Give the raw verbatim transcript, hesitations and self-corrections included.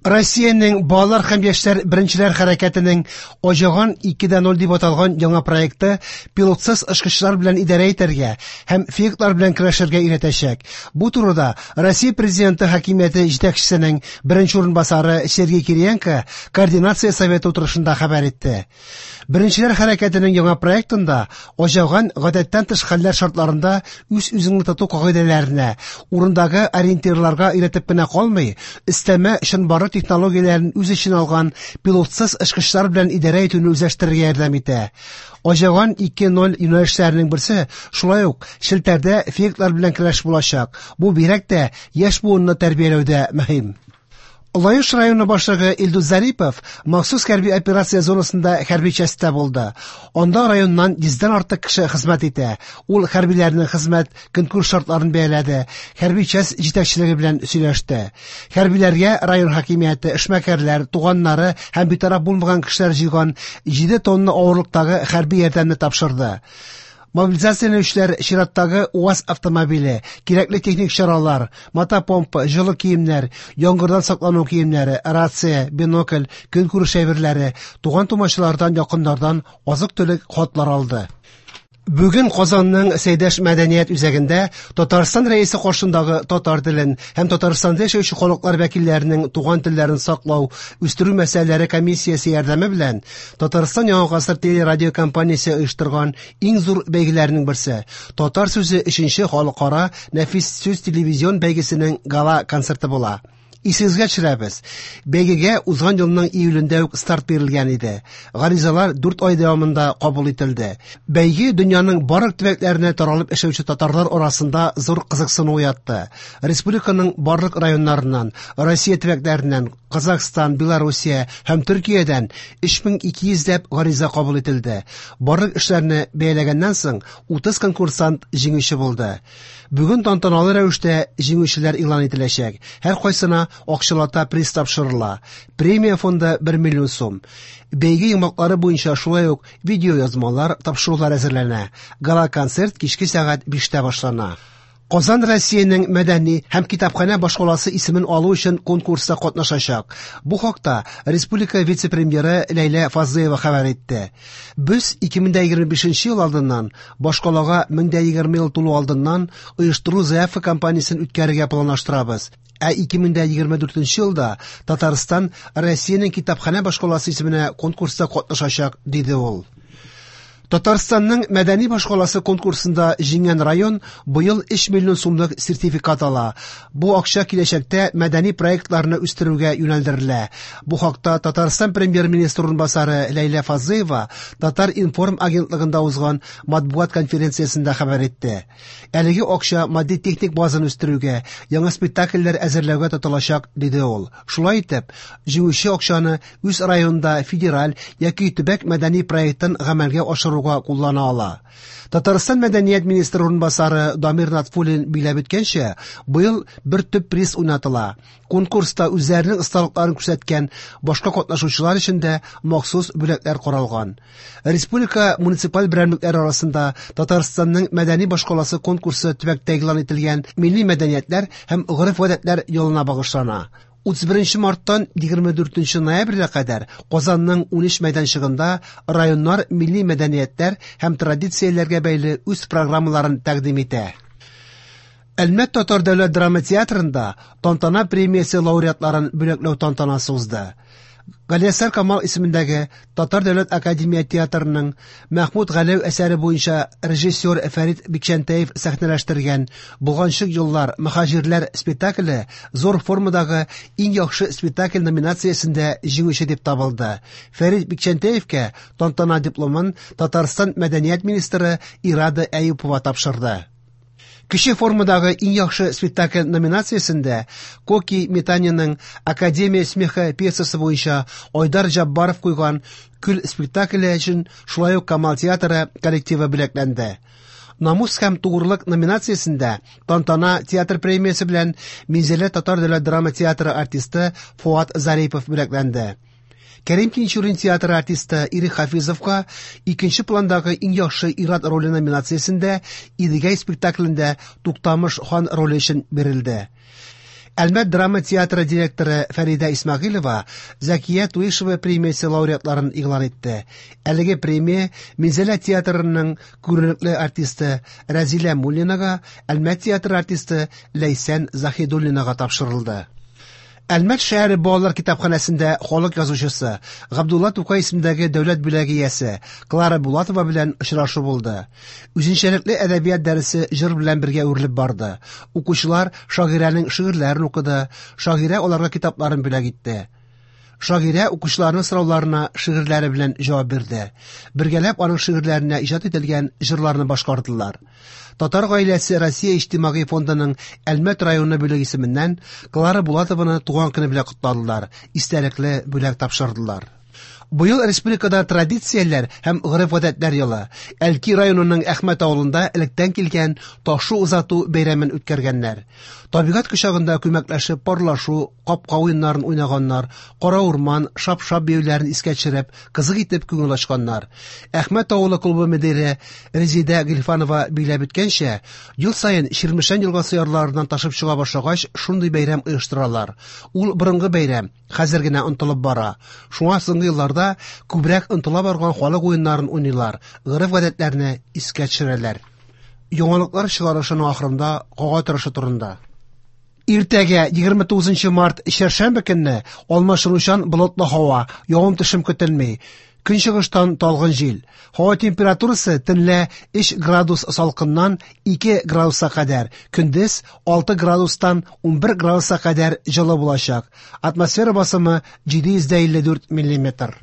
Россиянең балалар һәм яшьләр беренчеләр хәрәкәтенең Аҗаган ике дә ноль дип аталган яңа проекты пилотсыз очкычлар белән идарә итәргә һәм фейклар белән көрәшергә өйрәтәчәк. Бу турыда Россия Президенты хакимияте җитәкчесенең беренче урынбасары Сергей Кириенко координация советы утырышында хәбәр итте. Беренчеләр хәрәкәтенең яңа проектында Аҗаган гадәттән тыш хәлләр шартларында үз-үзеңне тоту кагыйдәләренә, урындагы ориентирларга өйрәтеп кенә калмый, өстәмә чынбарлык технологияләрен үз эченә алган пилотсыз очкычлар белән идарә итүне үзләштерергә ярдәм итә. Аҗаган ике ноль юнәлешләренең берсе шулай ук челтәрдә фейклар белән көрәш булачак. Бу бигрәк тә яшь буынны тәрбияләүдә мөһим. Лаеш районы башлыгы Илдус Зарипов махсус хәрби операция зонасында хәрби частьта булды. Анда районнан йөздән артык кеше хезмәт итә. Ул хәрбиләрнең хезмәт көнкүреш шартларын бәяләде, хәрби часть җитәкчелеге белән сөйләште. Хәрбиләргә район хакимияте, эшмәкәрләр, туганнары һәм битараф булмаган кешеләр җыйган җиде тонна авырлыктагы хәрби ярдәмне тапшырды. Мобилизацияләнүчеләр чираттагы УАЗ автомобиле, кирәкле техник чаралар, мотопомпа, җылы киемнәр, яңгырдан саклану киемнәре, рация, бинокль, көнкүреш әйберләре, туган-тумачалардан, якыннардан азык-төлек хатлар алды. Бүген Казанның Сәйдәш мәдәният үзәгендә Татарстан Рәисе каршындагы татар телен һәм Татарстанда яшәүче халыклар вәкилләренең туган телләрен саклау, үстерү мәсьәләләре комиссиясе ярдәме белән Татарстан Яңа гасыр телерадиокомпаниясе оештырган иң зур бәйгеләрнең берсе Татар сүзе өченче халыкара нәфис сүз телевизион бәйгесенең гала концерты була. Исегезгә төшерәбез. Бәйгегә узган елның июлендә үк старт бирелгән иде. Гаризалар дүрт ай дәвамында кабул ителде. Бәйге дөньяның барлык төбәкләренә таралып эшләүче татарлар арасында зур кызыксыну уятты. Республиканың барлык районнарыннан, Россия төбәкләреннән, Казахстан, Белоруссия һәм Төркиядән өч мең ике йөзләп гариза кабул ителде. Барлык эшләрне бәяләгәннән соң утыз конкурсант җиңүче булды. Бүген тантаналы рәвештә җиңүчеләр игълан ителәчәк. Һәр кайсына акчалата приз тапшырыла. Премия фонды бер миллион сум. Бәйге йомгаклары буенча шулай ук видеоязмалар, тапшырулар әзерләнә. Гала-концерт кичке сәгать биштә башлана. Казан Россиянең мәдәни һәм китапханә башкаласы исемен алу өчен конкурста катнашачак. Бу хакта республика вице-премьеры Ләйлә Фазлыева хәбәр итте. Без ике мең дә егерме бишенче ел алдыннан башкалага мең дә егерме ел тулу алдыннан оештыру заявка кампаниясен үткәрергә планлаштырабыз. Ә ике мең дә егерме дүртенче елда Татарстан Россиянең китапханә башкаласы исеменә конкурста катнашачак, диде ул. Татарстанның мәдәни башкаласы конкурсында җиңгән район быел өч миллион сумлык сертификат ала. Бу акча киләчәктә мәдәни проектларны үстерүгә юнәлдерелә. Бу хакта Татарстан премьер-министры урынбасары Ләйлә Фазлыева Татар-информ агентлыгында узган матбугат конференциясендә хәбәр итте. Әлеге акча матди техник базаны үстерүгә, яңа спектакльләр әзерләүгә тотылачак, диде ул. Шулай итеп, җиңүче акчаны үз районында федераль яки төбәк мәдәни проектын гамәлгә ашыруга куллана ала. Татарстан мәдәният министры урынбасары Дамир Натфуллин биләп үткәнчә, быел бер төп приз уйнатыла. Конкурста үзләренең осталыкларын күрсәткән башка катнашучылар өчен дә махсус бүләкләр каралган. Республика муниципаль берәмлекләре арасында Татарстанның мәдәни башкаласы конкурсы төбәктә игълан ителгән милли мәдәниятләр һәм гореф-гадәтләр елына багышлана. Утыз беренче марттан егерме дүртенче ноябрьгә кадәр Казанның унөч мәйданчыгында районнар милли мәдәниятләр һәм традицияләргә бәйле үз программаларын тәкъдим итә. Әлмәт Татар дәүләт драма театрында Тантана премиясе лауреатларын бүләкләү тантанасы узды. Галиәсгар Камал исемендәге Татар дәүләт академия театрының Мәхмүт Галәү әсәре буенча режиссер Фәрит Бикчәнтәев сәхнәләштергән Болганчык еллар мөһаҗирләр спектакле зур формадагы иң яхшы спектакль номинациясендә җиңүче дип табылды. Фәрит Бикчәнтәевкә тантана дипломын Татарстан мәдәният министры Ирада Әюпова тапшырды. Кече формадагы иң яхшы спектакль номинациясендә Коки Митаниның Академия смеха пьесасы буенча Айдар Җаббаров куйган Көл спектакле өчен шулай ук Камал театры коллективы бүләкләнде. Намус һәм тугрылык номинациясендә Тантана театр премиясе белән Минзәлә Татар дәүләт драма театры артисты Фуат Зарипов бүләкләнде. Кәрим Тинчурин театры артисты Ирек Хафизовка икенче пландагы иң яхшы ир-ат роле номинациясендә Идегәй спектаклендә Туктамыш хан роле өчен бирелде. Әлмәт драма театры директоры Фәридә Исмәгыйлева Зәкия Туишева премиясе лауреатларын игълан итте. Әлеге премия Минзәлә театрының күренекле артисты Рәзилә Муллинага, Әлмәт театры артисты Ләйсән Заһидуллинага тапшырылды. Әлмәт шәһәре балалар китапханәсендә халык язучысы, Габдулла Тукай исемендәге дәүләт бүләге иясе Клара Булатова белән очрашу булды. Үзенчәлекле әдәбият дәресе җыр белән бергә үрелеп барды. Укучылар шагыйрәнең шигырьләрен укыды, шагыйрә аларга китапларын бүләк итте. Шагыйрә укучыларның сорауларына шигырьләре белән җавап бирде. Бергәләп аның шигырьләренә иҗат ителгән җырларны башкардылар. Татар гаиләсе Россия иҗтимагый фондының Әлмәт районы бүлеге исеменнән Клара Булатованы туган көне белән котладылар, истәлекле бүләк тапшырдылар. Быел республикада традицияләр һәм гореф-гадәтләр елы. Әлки районының Әхмәт авылында электән килгән ташу озату бәйрәмен үткәргәннәр. Табигать кочагында күмәкләшеп парлашу, капка уеннарын уйнаганнар, кара урман, шап-шап биюләрен искә төшереп, кызык итеп күңел ачканнар. Әхмәт авылы клубы мөдире Резидә Гилфанова билгеләп үткәнчә, ел саен Чирмешән елгасы ярларыннан ташып чыга башлагач, шундый бәйрәм оештыралар. Ул борынгы бәйрәм, хәзер генә онытылып бара. Шуңа соңгы елларда күбрәк онытыла барган халык уеннарын уйныйлар, гореф-гадәтләрне искә төшерәләр. Яңалыклар чыгарышының ахырында һава торышы турында. Иртәгә егерме тугызынчы март чәршәмбе көнне алмашынучан болытлы һава, явым-төшем көтелми. Көнчыгыштан талгын җил. Һава температурасы төнлә өч градус салкыннан ике градуска кадәр, көндез алты градустан унбер градуска кадәр җылы булачак. Атмосфера басымы җиде йөз дә илле дүрт миллиметр.